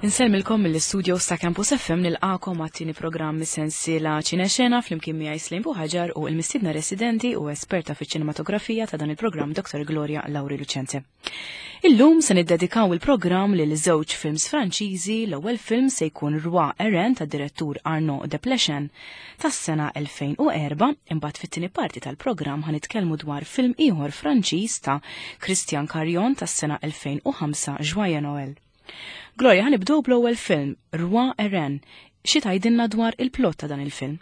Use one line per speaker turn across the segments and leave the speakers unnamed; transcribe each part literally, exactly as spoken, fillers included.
Insellmilkom mill-istudio ta' Campus F M, nilqagħkom għat-tieni programm sensiela Ċinexena flimkien miegħi Slim Buħaġar u l-mistiedna residenti u esperta fiċ-ċinematografija ta' dan il-programm, Doktor Gloria Lauri Lucente. Illum se niddedikaw il-programm lil żewġ films Franċiżi. L-ewwel film se jkun Roi et Reine tad-direttur Arnaud Desplechin tas-sena elfejn u erbgħa, imbagħad fit-tieni parti tal-programm ħa nitkellmu dwar film ieħor Franċiż ta' Christian Carion tas-sena elfejn u ħamsa, Joyeux Noël. Gloria, ħa nibdew bl-ewwel film, Roi et Reine. Xi tgħidilna dwar il-plot ta' dan il-film?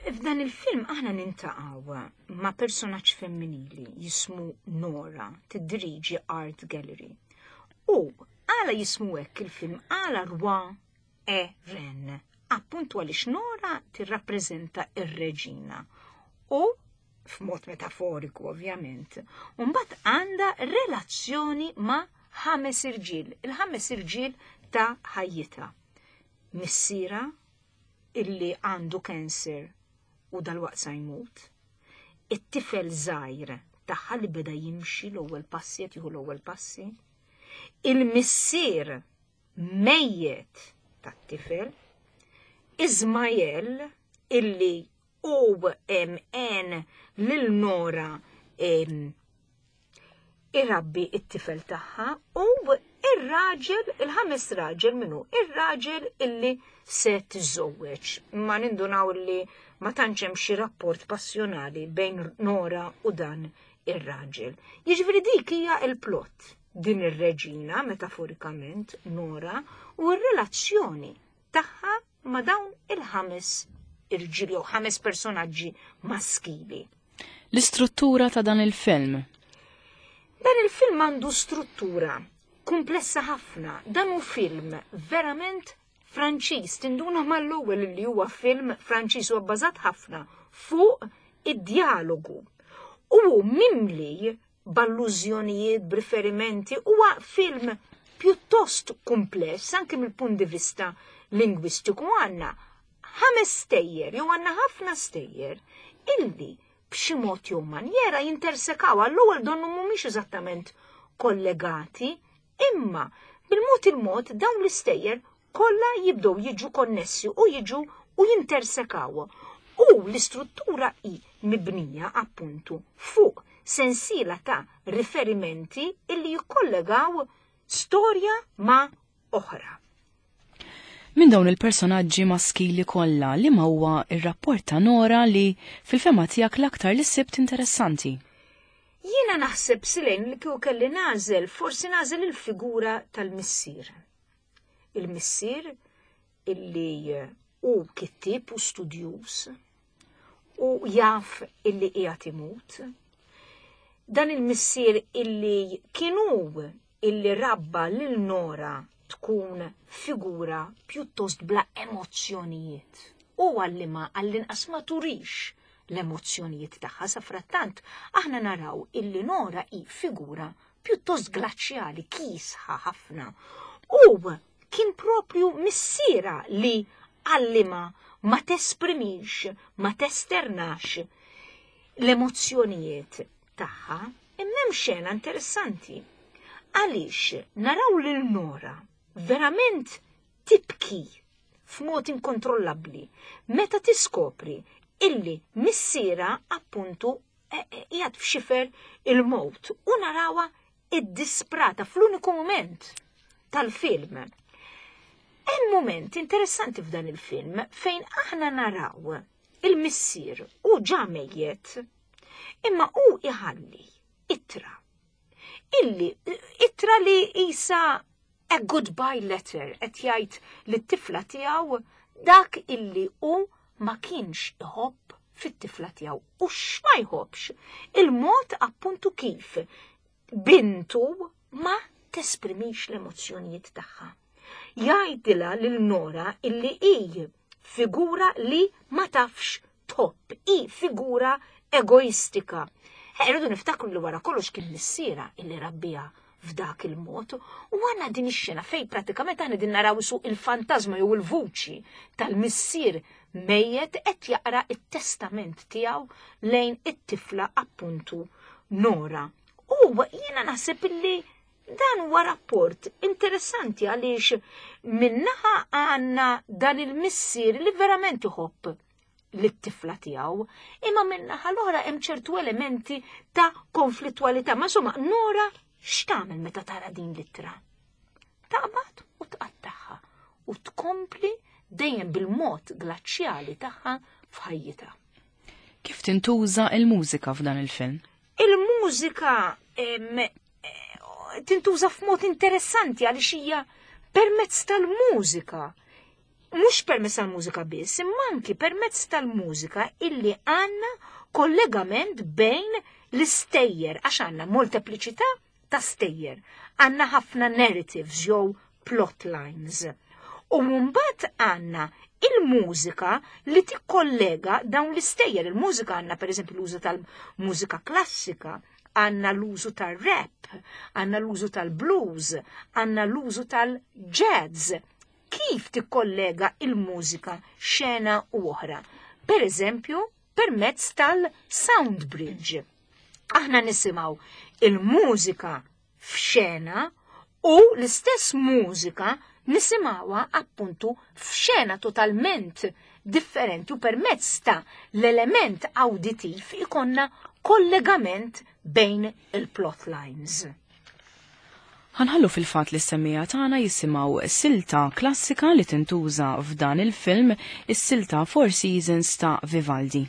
F'dan il-film aħna niltaqgħu ma' personaġġ femminili jismu Nora, tiddiriġi art gallery. U għala jismu hekk il-film, għala Roi et Reine? Appuntu għaliex Nora tirrappreżenta ir-reġina. U f'mod metaforiku ovvjament. U mbagħad għandha relazzjoni ma' ħames irġiel, il-ħames irġiel ta' ħajjitha. Missierha illi għandu cancer u dalwaqt sa jmut, it-tifel żgħir tagħha li beda jimxi l-ewwel passi, qed jieħu l-ewwel passi, il-missier mejjet tat-tifel, Ismael illi u en lil Nora irabbi it-tifel tagħha u ir-raġel, il-ħames raġel minnu, ir-raġel illi se tiżżewweġ. Ma nindunaw illi ma tantx hemm xi rapport passjonali bejn Nora u dan ir-raġel. Jiġifieri dik hija il-plot, din ir-reġina metaforikament Nora u r-relazzjoni tagħha ma' dawn il-ħames irġiel jew ħames personaġġi maskili.
L-istruttura ta' dan il-film.
Dan il-film għandu struttura komplessa ħafna. Dan hu film verament Franċiż. Tinduna mal-ewwel li huwa film Franċiż, u bbażat ħafna fuq id-dialogu. U mimli b'allużjonijiet, b'riferimenti, huwa film pjuttost kumpless anke mill-punt di vista lingwistiku. Għandna ħames stejjer, jew għandna ħafna stejjer illi b'xi mod jew manjera jintersekaw. Għall-ewwel donnu mhumiex eżattament kollegati, imma bil-mod il-mod dawn l-istejjer kollha jibdew jiġu konnessi u jiġu u jintersekaw. U l-istruttura hi mibnija appuntu fuq sensiela ta' riferimenti illi jikkollegaw storja ma' oħra.
Minn dawn il-personaġġi maskili kollha, li ma huwa ir-rapport ta' Nora li fil-fehma tiegħek l-aktar li sibt interessanti?
Jiena naħseb, Silejn, li kieku kelli nagħżel, forsi nagħżel il-figura tal-missier. Il-missier illi hu kittib u studjuż u jaf illi qiegħed imut. Dan il-missier illi kienu illi rabba lil Nora tkun figura pjuttost bla emozzjonijiet. U għallima għall-inqas ma turix l-emozzjonijiet tagħha. Sa frattant aħna naraw illi Nora hi figura pjuttost glaċjali, kiesħa ħafna. U kien propju missierha li għallima ma tesprimix, ma testernax l-emozzjonijiet tagħha. Imma hemm xena interessanti. Għaliex naraw lil Nora verament tibki f'mod inkontrollabbli meta tiskopri illi missierha appuntu e, e, qiegħed f'xifer il-mowt u narawha iddisprata fl-uniku moment tal-film. Hemm moment interessanti f'dan il-film fejn aħna naraw il-missier u ġa mejjet, imma hu iħalli ittra. Illi ittra li isa a goodbye letter, qed jgħid lit-tifla tiegħu dak illi hu ma kienx iħobb fit-tifla tiegħu. U x'ma jħobbx? Il-mod appuntu kif bintu ma tesprimix l-emozzjonijiet tagħha. Jgħidilha lil Nora illi hi figura li ma tafx tħobb, hi figura egoistika. Irridu niftakru li wara kollox kien missierha illi rabbiha f'dak il-mod u għandna din ix-xena fej pratikament aħna din naraw su il-fantasma jew il-vuċi tal-missier mejjet qed jaqra it-testament tiegħu lejn it-tifla appuntu Nora. U jiena naħseb illi Dan huwa rapport interessanti għaliex minnaħa għandna dan il-missier li verament iħobb lit-tifla tiegħu, imma minnaħa l-oħra hemm ċertu elementi ta' konflittwalità. Ma insomma, Nora x'tagħmel meta tara din l-ittra? Taqbad u tqattagħha u tkompli dejjem bil-mod glaċjali tagħha f'ħajjitha.
Kif tintuża il-mużika f'dan il-film?
Il-mużika tintuża f'mod interessanti għaliex hija permezz tal-mużika. Mhux permezz tal-mużika biss, imma anki permezz tal-mużika illi għandna kollegament bejn l-istejjer, għax għandna moltepliċità ta' stejjer, għandna ħafna narratives jew plot lines. U mbagħad għandna il-mużika li tikkollega dawn l-istejjer. Il-mużika għandna pereżempju l-użu tal-mużika klassika, għandna l-użu tal-rap, għandna l-użu tal-blues, għandna l-użu tal-jazz. Kif tikkollega il-mużika xena u oħra? Per eżempju, permezz tal-sound bridge. Aħna nisimgħu il-mużika f'xena u l-istess mużika nisimgħuha appuntu f'xena totalment differenti u permezz ta' l-element auditiv ikonna kollegament bejn il-plot lines.
Ħanħallu fil-fat li s-semmija tagħna jisimgħu silta klassika li tintuża f'dan il-film, is-silta Four Seasons ta' Vivaldi.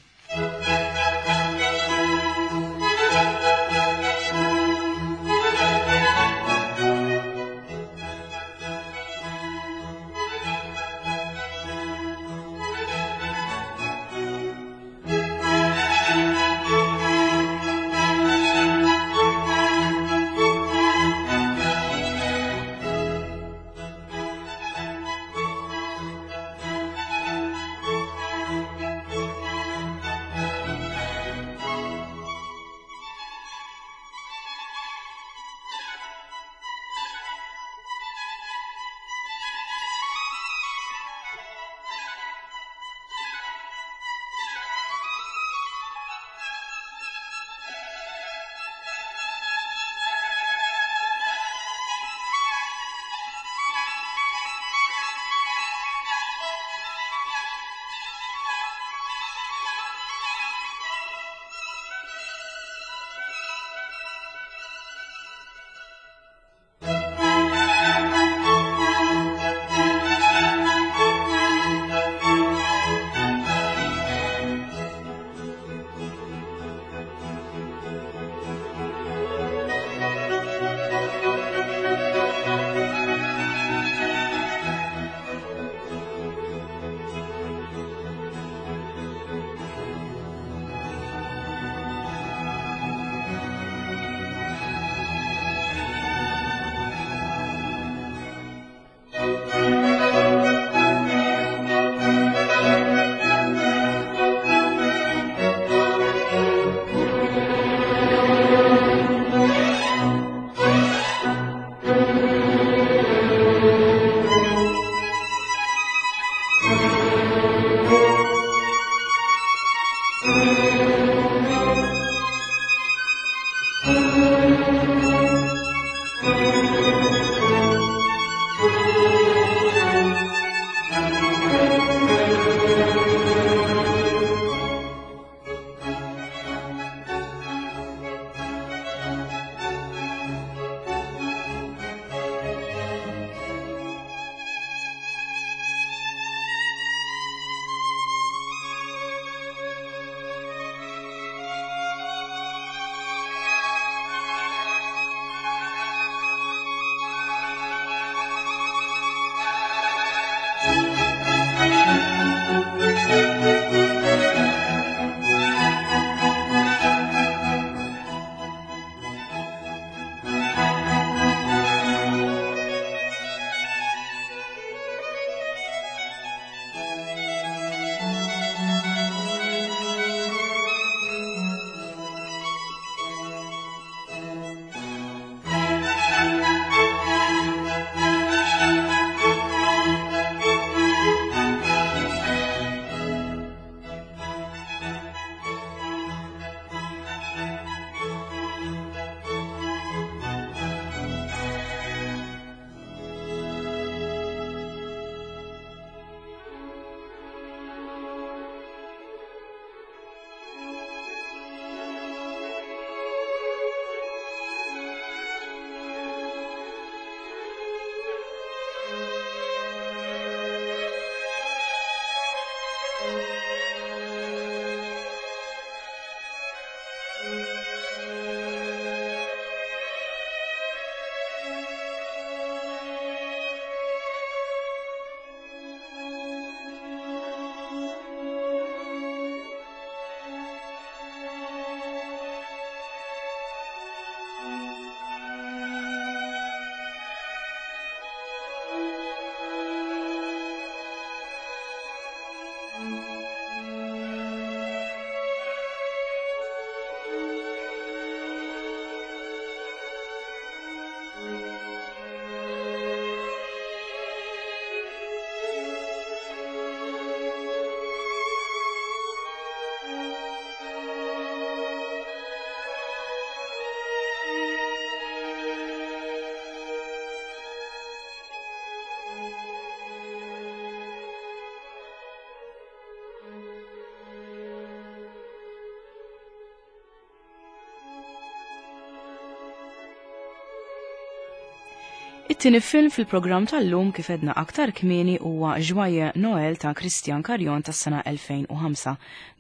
It-tieni film fil-programm tal-lum kif għedna aktar kmieni huwa Joyeux Noël ta' Christian Carion tas-sena elfejn u ħamsa.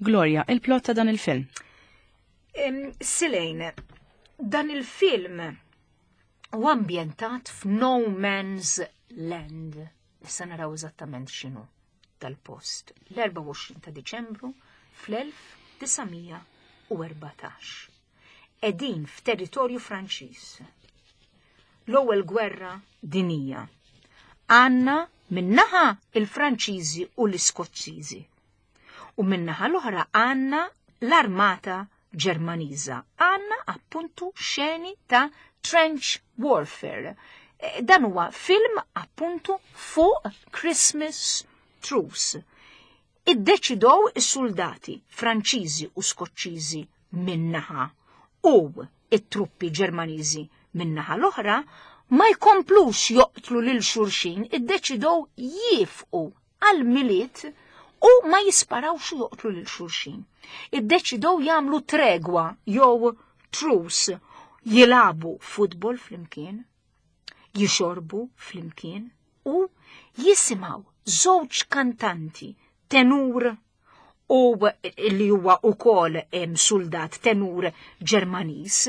Gloria, il-plot ta' dan il-film.
Silejn, dan il-film u ambjentat f'No Man's Land. Issa naraw eżattament x'inhu dal-post. L-erbgħa u għoxrin ta' Diċembru fl-elf disa' mija u erbatax. Qegħdin f'territorju Franċiż. L-ewwel gwerra dinija. Għandna min-naħa il-Franċiżi u l-Iskoċċiżi. U min-naħa l-oħra għandna l-armata Ġermaniża. Għandna appuntu xeni ta' trench warfare. E, dan huwa film appuntu fuq Christmas truce. Iddeċidow is-soldati Franċiżi u Skoċċiżi min-naħa u it-truppi Ġermaniżi min-naħa l-oħra ma jkomplux joqtlu lil xulxin, iddeċidow jieqfu għal-Milied u ma jisparawx u joqtlu lil xulxin. Iddeċidow jagħmlu tregwa jew truce, jilagħbu futbol flimkien, jixorbu flimkien u jisimgħu żewġ kantanti, tenur u li huwa ukoll soldat tenur Ġermaniż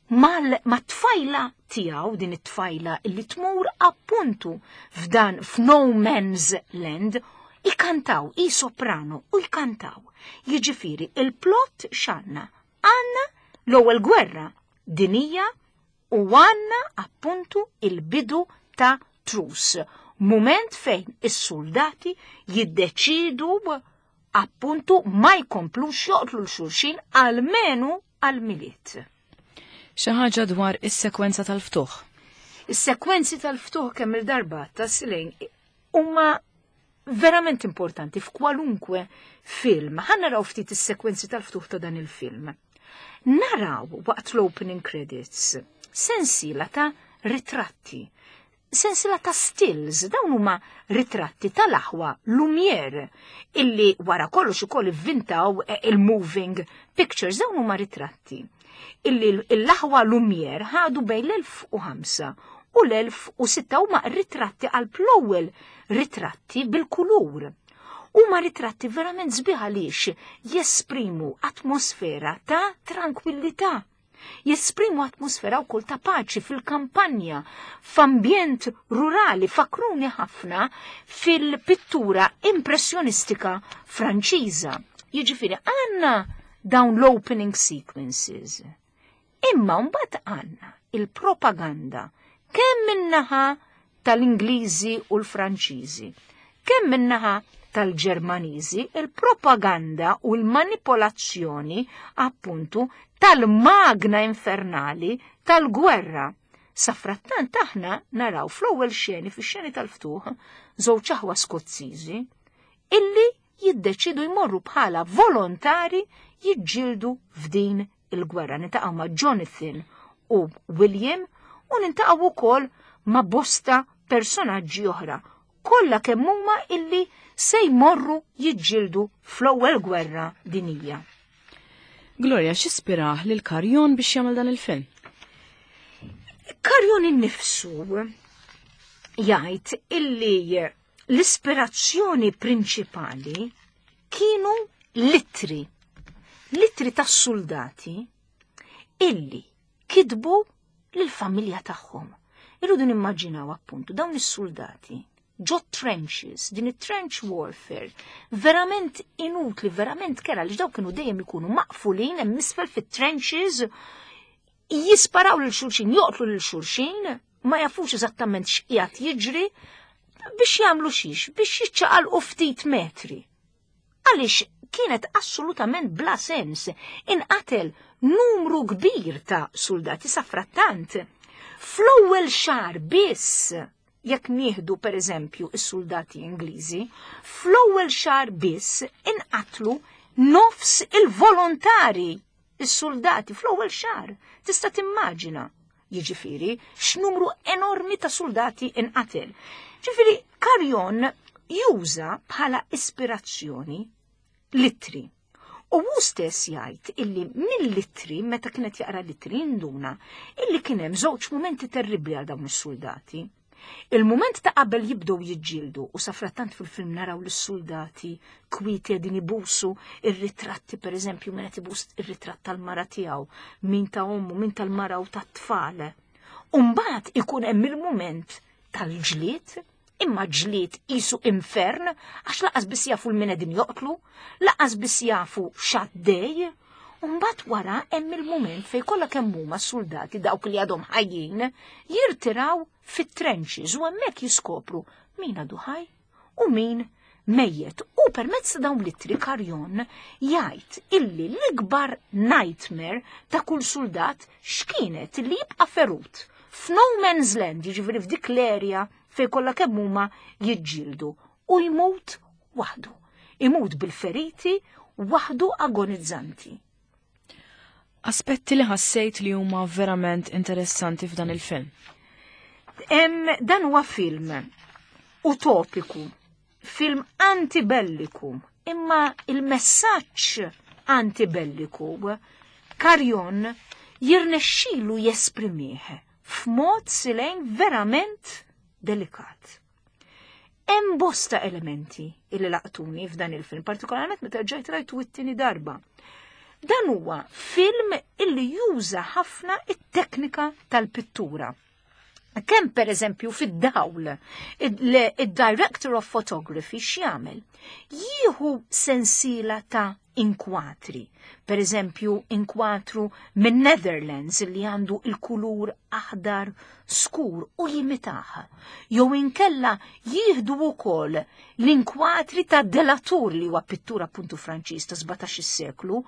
mal-tfajla tiegħu, din it-tfajla li tmur appuntu f'dan f'No Man's Land, ikantaw, i soprano u jkantaw. Jiġifieri il-plot x'għandna? Għandna l-ewwel gwerra dinija u għandna appuntu il-bidu ta' truce. Moment fejn is-soldati jiddeċidu appuntu ma jkomplux joqtlu 'l xulxin almenu għal-Milied.
Xi ħaġa dwar is-sekwenza tal-ftuħ.
Is-sekwenzi tal-ftuħ kemm il-darba ta' Silejn huma verament importanti f'kwalunkwe film. Ħa naraw ftit is-sekwenzi tal-ftuħ ta' dan il-film. Naraw waqt l-opening credits sensiela ta' ritratti, sensiela ta' stills, dawn huma ritratti tal-aħwa Lumiere illi wara kollox ukoll ivvintaw il-moving pictures. Dawn huma ritratti illi l-aħwa Lumiere ħadu bejn l-elf u ħamsa u l-elf u sitta, huma ritratti għal l-ewwel ritratti bil-kulur. Huma ritratti verament sbieħ għaliex jesprimu atmosfera ta' tranquillità. Jesprimu atmosfera wkoll ta' paċi fil-kampanja, f'ambjent rurali, fakruni ħafna fil-pittura impressjonistika Franċiża. Jiġifieri għandna dawn l-opening sequences. Imma mbagħad għandna il-propaganda kemm min-naħa tal-Ingliżi u l-Franċiżi, kemm min-naħa tal-Ġermaniżi, il-propaganda u l-manipolazzjoni appuntu tal-magna infernali tal-gwerra. Safrattant aħna naraw fl-ewwel xeni, fix-xeni tal-ftuħ, żewġ aħwa Skoċċiżi illi jiddeċidu jmorru bħala volontari jiġġieldu f'din il-gwerra. Niltaqgħu ma' Jonathan u William u niltaqgħu wkoll ma' bosta personaġġi oħra. Kollha kemm huma illi se jmorru jiġġieldu fl-ewwel gwerra dinija.
Gloria, x'ispirah lil Carion biex jagħmel dan il-film?
Carion innifsu jgħid illi l-ispirazzjoni prinċipali kienu l-ittri, l-ittri tas-soldati illi kitbu lill-familja tagħhom. Irridu nimmaġinaw appuntu dawn is-soldati ġo trenches, din it-trench warfare, verament inutli, verament kerha, li daw kienu dejjem ikunu maqfulin hemm isfel fit-trenches, jisparaw lil xulxin, joqtlu lil xulxin, ma jafux eżattament x'qiegħed jiġri, biex jagħmlu xiex, biex jiċċaqalqu ftit metri. Għaliex kienet assolutament bla sens, inqatel numru kbir ta' soldati safrattant. Fl-ewwel xahar biss, jekk nieħdu per eżempju is-soldati Ingliżi, fl-ewwel xahar biss inqatlu nofs il-volontari, is-soldati fl-ewwel xahar. Tista' timmaġina, jiġifieri, x'numru enormi ta' soldati inqatel. Ġifieri Carion juża bħala ispirazzjoni l-ittri. U hu stess jgħid illi mill-ittri, meta kienet jaqra l-ittri, induna illi kien hemm żewġ mumenti terribbli għal dawn is-soldati. Il-moment ta' qabel jibdew jiġġieldu, u safrattant fil-film naraw l-soldati kwieti qegħdin ibusu ir-ritratti, per eżempju, min qed ibus ir-ritratt tal-mara tiegħu, min ta' ommu, min tal-mara u tat-tfal. U mbagħad ikun hemm il-mument tal-ġlied, imma ġlied qisu infern, għax lanqas biss jafu 'l min qegħdin joqtlu, lanqas biss jafu x'għaddej. U mbagħad wara hemm il-mument fejn kollha kemm huma s-soldati, dawk li għadhom ħajjin, jirtiraw fit-trenches u hemmhekk jiskopru min għadu ħaj u min mejjet. U permezz ta' dawn l-ittri Carion jgħid illi l-ikbar nightmare ta' kull soldat x'kienet li jibqa' ferut f'no man's land, jiġifieri f'dik l-area fejn kollha kemm huma jiġġieldu, u jmut waħdu. Imut bil-feriti waħdu agonizzanti.
Aspetti li ħassejt li huma verament interessanti f'dan il-film.
Em, dan huwa film utopiku, film antibelliku, imma il-messaġġ antibelliku Carion jirnexxilu jesprimih f'mod silejn verament delikat. Hemm bosta elementi illi laqtuni f'dan il-film, partikolarment meta ġejt rajtu it-tieni darba. Dan huwa film illi juża ħafna it-teknika tal-pittura. Kemm per eżempju fid-dawl, il-director of photography x'jagħmel? Jieħu sensiela ta' inkwatri. Per eżempju, inkwatru minn Netherlands li għandu il-kulur aħdar skur u jimitah. Jew inkella jieħdu wkoll l-inkwatri ta' Delatour, li huwa pittura appuntu Franċiż ta' sbatax-il seklu,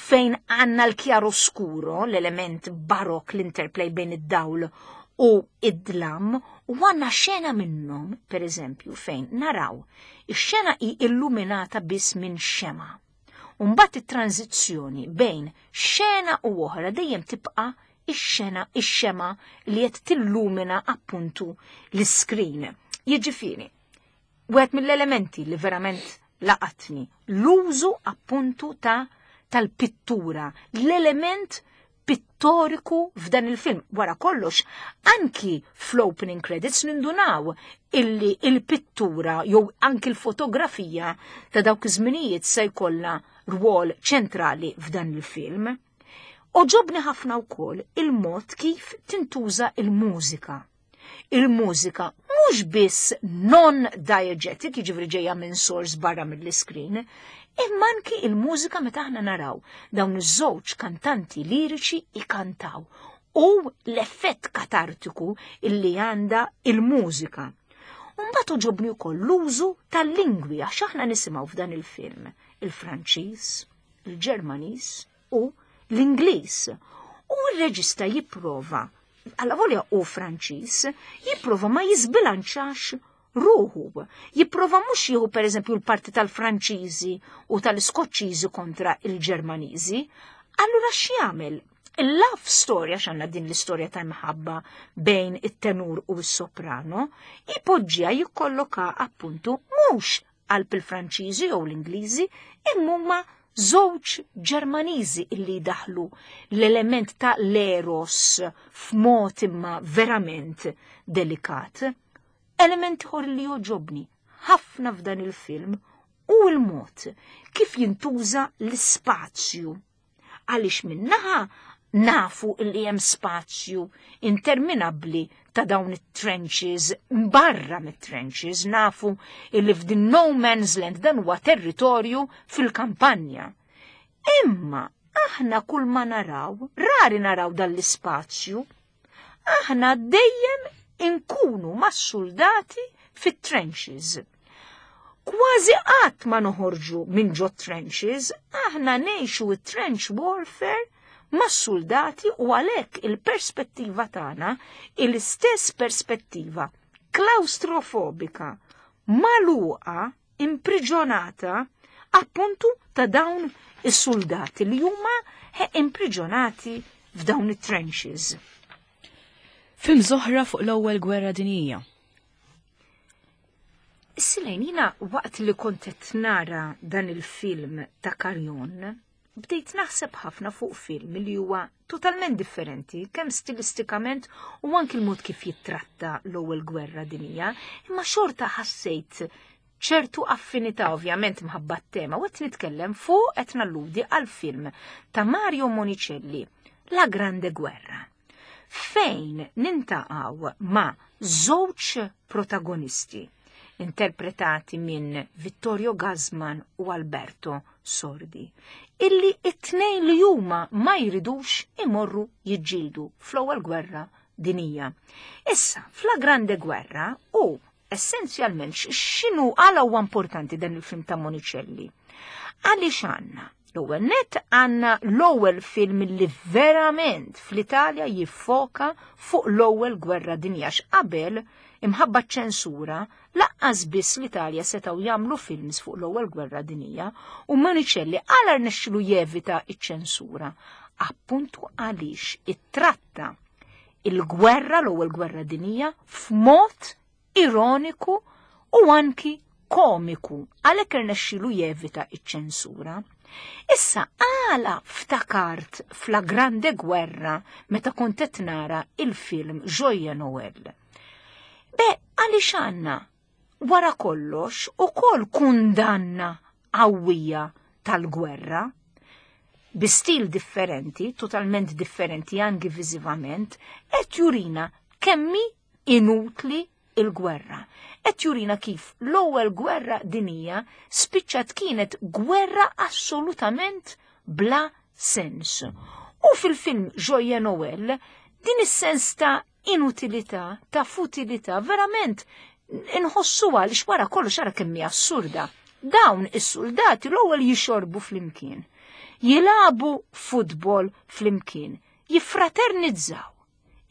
fejn għandna l-chiaroscuro, l-element barok, l-interplay bejn id-dawl u id-dlam, u għandna xena minnhom, per eżempju, fejn naraw ix-xena hi illuminata biss minn xema. Umbat it-tranzizzjoni bejn xena u oħra dejjem tibqa' ix-xena, ix-xema li qed tillumina appuntu l-iskrin. Jiġifieri, wieħed mill-elementi li verament laqatni, l-użu appuntu ta' tal-pittura, l-element pittoriku f'dan il-film. Wara kollox, anki fl-opening credits nindunaw illi il-pittura jew anki l-fotografija ta' dawk iż-żminijiet se jkollha rwol ċentrali f'dan il-film. Għoġobni ħafna wkoll il-mod kif tintuża il-mużika. Il-mużika mhux biss non-diegetic, jiġifieri ġejja minn source barra mill-iskrin, imma anki il-mużika meta aħna naraw dawn iż-żewġ kantanti liriċi ikantaw u l-effett katartiku illi għandha il-mużika. Mbagħad għoġobni wkoll l-użu tal-lingwi, għax aħna nisimgħu f'dan il-film il-Franċiż, il-Ġermaniż u l-Ingliż. U r-reġista jipprova, avolja hu Franċiż, jipprova ma jizbilanċax ruħu. Jipprova mhux jieħu per eżempju l-parti tal-Franċiżi u tal-Iskoċċiżi kontra il-Ġermaniżi. Allura x'jagħmel? Il-love story, għax għandna din l-istorja ta' mħabba bejn it-tenur u s-soprano, ipoġġija, jikkolloka appuntu mhux qalb il-Franċiżi jew l-Ingliżi, imma huma żewġ Ġermaniżi illi daħlu l-element ta' l-eros f'mod imma verament delikat. Element ieħor li jogħġobni ħafna f'dan il-film u l-mod kif jintuża l-ispazju. Għaliex minnaħa nafu li hemm spazju interminabbli ta' dawn it-trenches, barra mit-trenches, nafu illi f'din no man's land, dan huwa territorju fil-kampanja. Imma aħna kull ma naraw, rari naraw dan l-ispazju, aħna dejjem inkunu mas-soldati fit-trenches. Kważi qatt ma noħorġu minn ġo trenches, aħna ngħixu it-trench warfare mas-soldati u għalhekk il-perspettiva tagħna, il-istess perspettiva klaustrofobika, magħluqa, impriġonata, appuntu ta' dawn is-soldati li huma impriġonati f'dawn it-trenches.
Film oħra fuq l-ewwel gwerra dinjija.
Silejn, jiena waqt li kont qed nara dan il-film ta' Carion, bdejt naħseb ħafna fuq film li huwa totalment differenti, kemm stilistikament u anki l-mod kif jittratta l-ewwel gwerra dinija, imma xorta ħassejt ċertu affinità, ovvjament mħabba tema, u qed nitkellem fuq, qed nalludi għal film ta' Mario Monicelli, La Grande Guerra, fejn niltaqgħu ma' żewġ protagonisti interpretati minn Vittorio Gassman u Alberto Sordi, illi it-tnejn li huma ma jridux imorru jiġġieldu fl-ewwel gwerra dinija. Issa, f'La Grande Guerra u essenzjalment x'inhu, għala huwa importanti dan il-film ta' Monicelli? Għaliex għandna l-ewwel net għandna l-ewwel film li verament fl-Italja jiffoka fuq l-ewwel gwerra dinja, qabel, imħabba ċensura, lanqas biss l-Italja setgħu jagħmlu films fuq l-ewwel gwerra dinija. U Monicelli għala rnexxilu jevita iċ-ċensura? Appuntu għaliex ittratta il-gwerra, l-ewwel gwerra dinija, f'mod ironiku u anki komiku, għalhekk irnexxilu jevita iċ-ċensura. Issa, għala ftakart f'La Grande Guerra meta kont qed nara il-film Joyeux Noël? Be, għaliex għandna wara kollox ukoll kundanna qawwija tal-gwerra, bi stil differenti, totalment differenti anki viżivament, qed jurina kemm hi inutli il-gwerra. Qed jurina kif l-ewwel gwerra dinija spiċċat kienet gwerra assolutament bla sens. U fil-film Joyeux Noël din is-sens ta' inutilità, ta' futilità, verament inħossu, għaliex wara kollox ara kemm assurda. Dawn is-soldati l-ewwel jixorbu flimkien, jilagħbu futbol flimkien, jiffraternizzaw,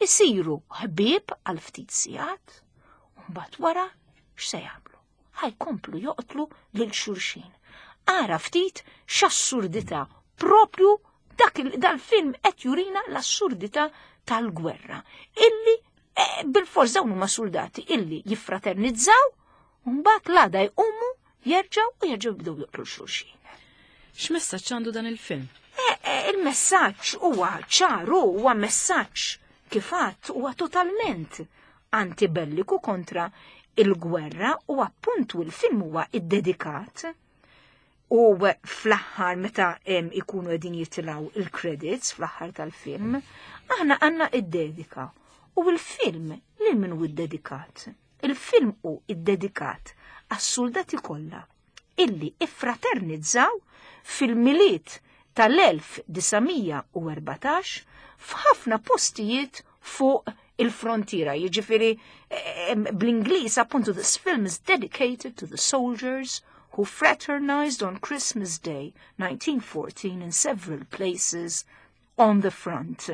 isiru ħbieb għal ftit sigħat, u mbagħad wara x'se jagħmlu? Ħa jkomplu joqtlu lil xulxin. Ara ftit x'assurdità, propju dak dal-film qed jurina l-assurdità tal-gwerra illi eh, bil-fors dawn huma soldati illi jiffraternizzaw u mbagħad l-għada jqumu jerġgħu u jerġgħu jibdew joqtlu xulxin.
X'messaġġ għandu dan il-film?
Eh, eh, il-messaġġ huwa ċaru, huwa messaġġ kif għedt huwa totalment antibelliku, kontra il-gwerra, u appuntu il-film huwa iddedikat u fl-aħħar meta ikunu qegħdin jitilgħu il-credits fl-aħħar tal-film, aħna għandna id-dedika. U il-film lil min hu iddedikat? Il-film hu iddedikat għas-soldati kollha illi iffraternizzaw fil-Milied tal-elf disa' mija u erbatax f'ħafna postijiet fuq il-frontiera. Jiġifieri bl-Ingliż appuntu "This film is dedicated to the soldiers who fraternized on Christmas Day nineteen fourteen in several places on the front."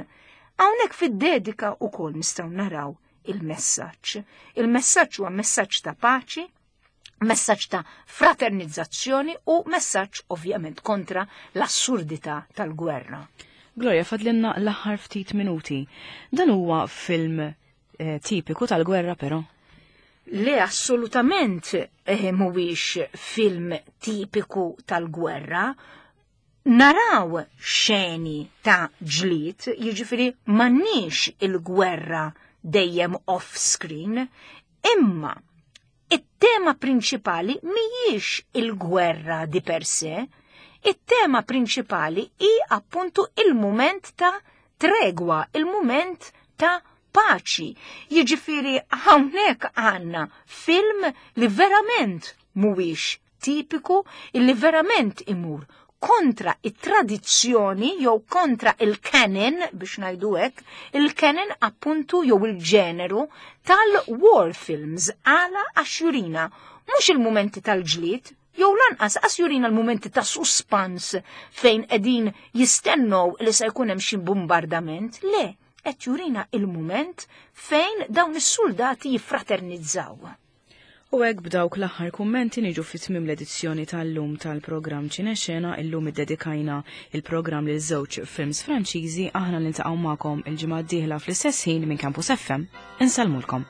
Hawnhekk fid-dedika ukoll nistgħu naraw il-messaġġ. Il-messaġġ huwa messaġġ ta' paċi, messaġġ ta' fraternizzazzjoni u messaġġ ovvjament kontra l-assurdità tal-gwerra.
Gloria, fadlinna l-aħħar ftit minuti. Dan huwa film eh, tipiku tal-gwerra però?
Le, assolutament eh, mhuwiex film tipiku tal-gwerra. Naraw xeni ta' ġlied, jiġifieri m'għandniex il-gwerra dejjem off-screen, imma it-tema prinċipali mhijiex il-gwerra di per se, it-tema prinċipali hi appuntu il-moment ta' tregwa, il-moment ta' paċi. Jiġifieri hawnhekk għandna film li verament mhuwiex tipiku, illi verament imur kontra it-tradizzjoni jew kontra il-canon, biex ngħidu hekk, il-canon appuntu jew il-ġeneru tal-war films. Għala? Għax jurina mhux il-momenti tal-ġlied, jew lanqas għax jurina l-momenti ta' suspans fejn qegħdin jistennew li se jkun hemm xi bombardament, le, qed jurina il-moment fejn dawn is-soldati jiffraternizzaw.
U hekk, b'dawk l-aħħar kummenti, niġu fi tmiem l-edizzjoni tal-lum tal-programm Ċinexena. Illum iddedikajna il-programm lil żewġ films Franċiżi. Aħna niltaqgħu magħkom il-ġimgħa d-dieħla fl-istess ħin minn Campus F M. Insellmulkom.